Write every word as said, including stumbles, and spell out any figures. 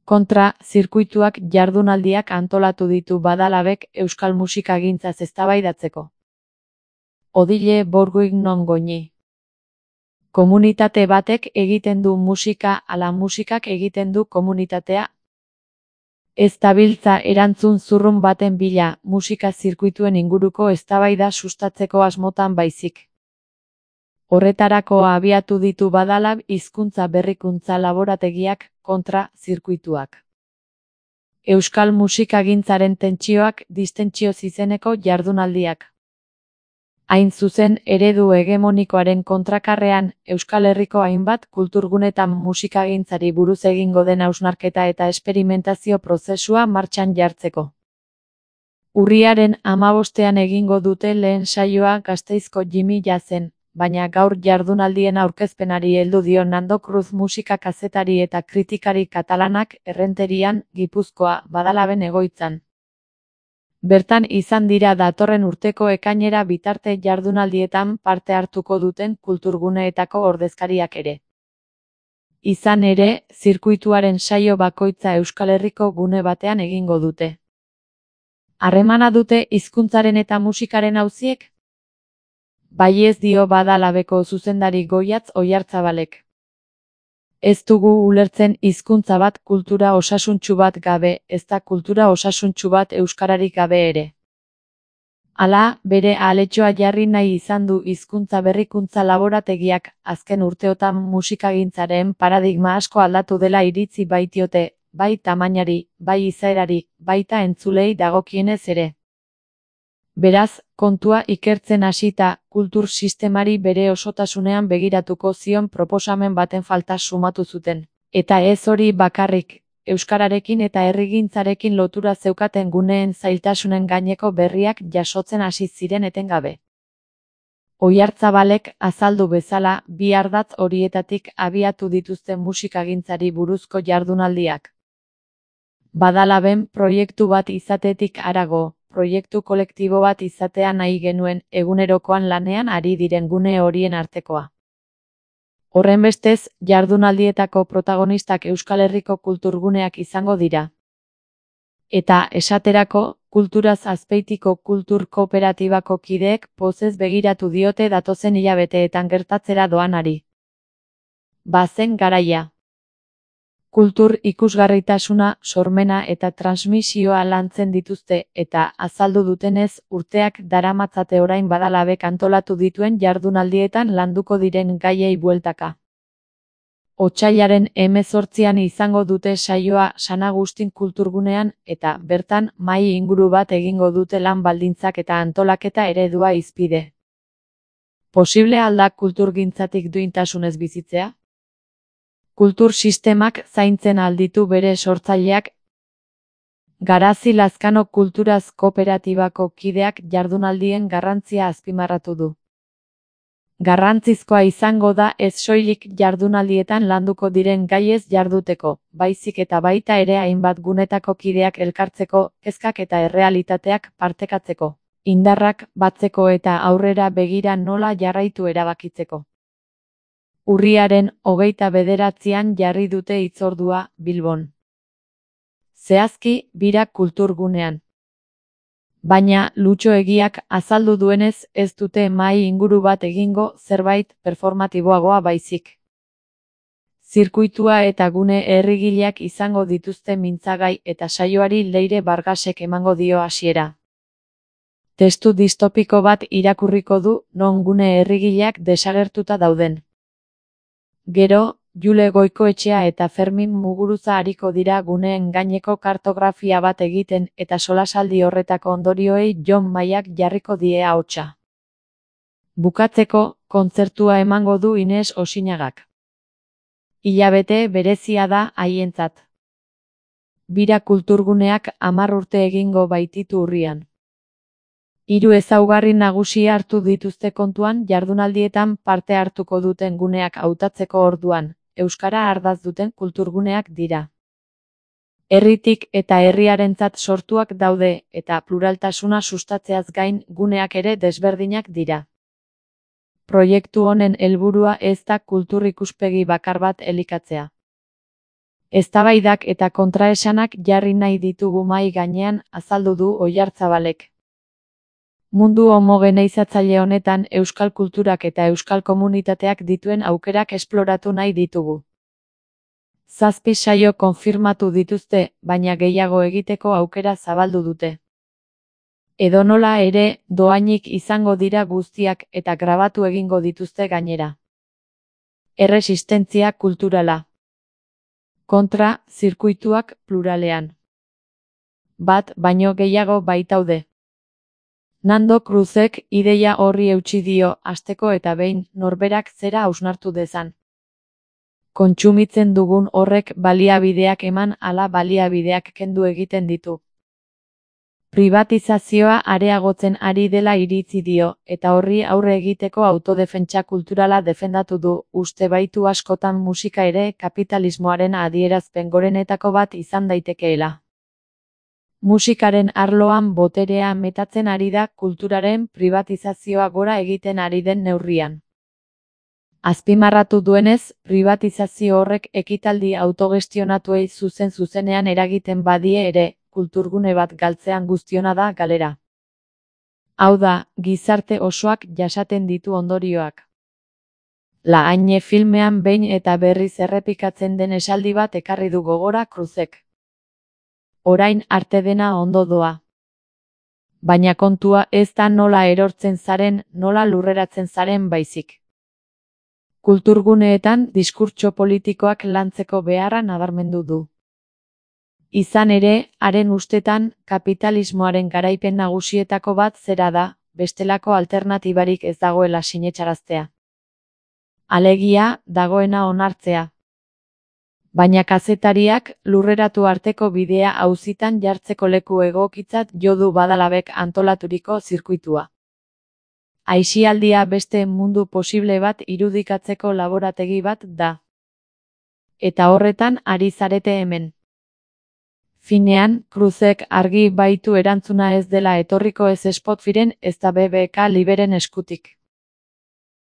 Kontra zirkuituak jardunaldiak antolatu ditu Badalabek euskal musikagintzaz eztabaidatzeko. Odile Bourguignon non goñi. Komunitate batek egiten du musika ala musikak egiten du komunitatea. Ez dabiltza erantzun zurrun baten bila musika zirkuituen inguruko eztabaida sustatzeko asmotan baizik. Horretarako abiatu ditu Badalab hizkuntza berrikuntza laborategiak kontra zirkuituak. Euskal musikagintzaren tentsioak distentsioz izeneko jardunaldiak. Hain zuzen eredu hegemonikoaren kontrakarrean, Euskal Herriko hainbat kulturgunetan musikagintzari buruz egingo den hausnarketa eta esperimentazio prozesua martxan jartzeko. Urriaren hamabostean egingo dute lehen saioa Gasteizko Jimmy Jazzen, baina gaur jardunaldien aurkezpenari heldu dio Nando Cruz musika kazetari eta kritikari katalanak Errenterian, Gipuzkoa, Badalaben egoitzan. Bertan izan dira datorren urteko ekainera bitarte jardunaldietan parte hartuko duten kulturguneetako ordezkariak ere. Izan ere, zirkuituaren saio bakoitza Euskal Herriko gune batean egingo dute. Harremana dute hizkuntzaren eta musikaren auziek? Bai ez dio Badalabeko zuzendari Goiatz Oiartzabalek. Ez dugu ulertzen hizkuntza bat kultura osasuntsu bat gabe, ez da kultura osasuntsu bat euskararik gabe ere. Hala, bere aletxoa jarri nahi izan du hizkuntza berrikuntza laborategiak, azken urteotan musikagintzaren paradigma asko aldatu dela iritzi baitiote, bai tamainari, bai izaerari, baita entzulei dagokienez ere. Beraz, kontua ikertzen hasita, kultur sistemari bere osotasunean begiratuko zion proposamen baten falta sumatu zuten. Eta ez hori bakarrik, euskararekin eta herrigintzarekin lotura zeukaten guneen zailtasunen gaineko berriak jasotzen hasi ziren etengabe. Oiartzabalek azaldu bezala, bi ardatz horietatik abiatu dituzten musikagintzari buruzko jardunaldiak. Badalaben proiektu bat izatetik harago, proiektu kolektibo bat izatea nahi genuen egunerokoan lanean ari diren gune horien artekoa. Horrenbestez, jardunaldietako protagonistak Euskal Herriko kulturguneak izango dira. Eta, esaterako, kulturaz Azpeitiko kultur kooperatibako kideek pozez begiratu diote datozen hilabeteetan gertatzera doanari. Bazen garaia. Kultur ikusgarritasuna, sormena eta transmisioa lantzen dituzte eta azaldu dutenez urteak daramatzate orain Badalabek antolatu dituen jardunaldietan landuko diren gaiei bueltaka. Otsailaren hemezortzian izango dute saioa San Agustin kulturgunean eta bertan mahai inguru bat egingo dute lan baldintzak eta antolaketa eredua hizpide. Posible al da kulturgintzatik duintasunez bizitzea? Kultur sistemak zaintzen alditu bere sortzaileak. Garazi Lazkano Kulturaz Kooperatibako kideak jardunaldien garrantzia azpimarratu du. Garrantzizkoa izango da ez soilik jardunaldietan landuko diren gaiez jarduteko, baizik eta baita ere hainbat gunetako kideak elkartzeko, kezkak eta errealitateak partekatzeko, indarrak batzeko eta aurrera begira nola jarraitu erabakitzeko. Urriaren hogeita bederatzian jarri dute hitzordua Bilbon. Zehazki, Bira kulturgunean. Baina, Lutxo Egiak azaldu duenez ez dute mahai inguru bat egingo zerbait performatiboagoa baizik. Zirkuitua eta gune herrigileak izango dituzte mintzagai eta saioari Leire Bargasek emango dio hasiera. Testu distopiko bat irakurriko du non gune herrigileak desagertuta dauden. Gero, Jule Goikoetxea eta Fermin Muguruza ariko dira guneen gaineko kartografia bat egiten eta solasaldi horretako ondorioei Jon Maiak jarriko die ahotsa. Bukatzeko, kontzertua emango du Ines Osinagak. Hilabete berezia da haientzat. Bira kulturguneak hamar urte egingo baititu urrian. Hiru ezaugarri nagusi hartu dituzte kontuan jardunaldietan parte hartuko duten guneak hautatzeko orduan, euskara ardatz duten kulturguneak dira. Herritik eta herriarentzat sortuak daude eta pluraltasuna sustatzeaz gain guneak ere desberdinak dira. Proiektu honen helburua ez da kultur ikuspegi bakar bat elikatzea. Eztabaidak eta kontraesanak jarri nahi ditugu mahai gainean, azaldu du Oyartzabalek. Mundu homogeneizatzaile honetan euskal kulturak eta euskal komunitateak dituen aukerak esploratu nahi ditugu. Zazpi saio konfirmatu dituzte, baina gehiago egiteko aukera zabaldu dute. Edonola ere, dohainik izango dira guztiak eta grabatu egingo dituzte gainera. Erresistentzia kulturala. Kontra, zirkuituak pluralean. Bat baino gehiago baitaude. Nando Cruzek ideia horri eutsi dio, hasteko eta behin, norberak zera hausnartu dezan. Kontsumitzen dugun horrek baliabideak eman ala baliabideak kendu egiten ditu. Pribatizazioa areagotzen ari dela iritzi dio, eta horri aurre egiteko autodefentsa kulturala defendatu du, uste baitu askotan musika ere kapitalismoaren adierazpen gorenetako bat izan daitekeela. Musikaren arloan boterea metatzen ari da kulturaren pribatizazioa gora egiten ari den neurrian. Azpimarratu duenez, pribatizazio horrek ekitaldi autogestionatuei zuzen-zuzenean eragiten badie ere, kulturgune bat galtzean guztiona da galera. Hau da, gizarte osoak jasaten ditu ondorioak. La Haine filmean behin eta berriz errepikatzen den esaldi bat ekarri du gogora Cruzek. Orain arte dena ondo doa. Baina kontua ez da nola erortzen zaren, nola lurreratzen zaren baizik. Kulturguneetan diskurtso politikoak lantzeko beharra nabarmendu du. Izan ere, haren ustetan, kapitalismoaren garaipen nagusietako bat zera da, bestelako alternatibarik ez dagoela sinetsaraztea. Alegia, dagoena onartzea. Baina kazetariak, lurreratu arteko bidea auzitan jartzeko leku egokitzat jo du Badalabek antolaturiko zirkuitua. Aisialdia beste mundu posible bat irudikatzeko laborategi bat da. Eta horretan ari zarete hemen. Finean, Cruzek argi baitu erantzuna ez dela etorriko ez Spotifyren ez da B B K Liberen eskutik.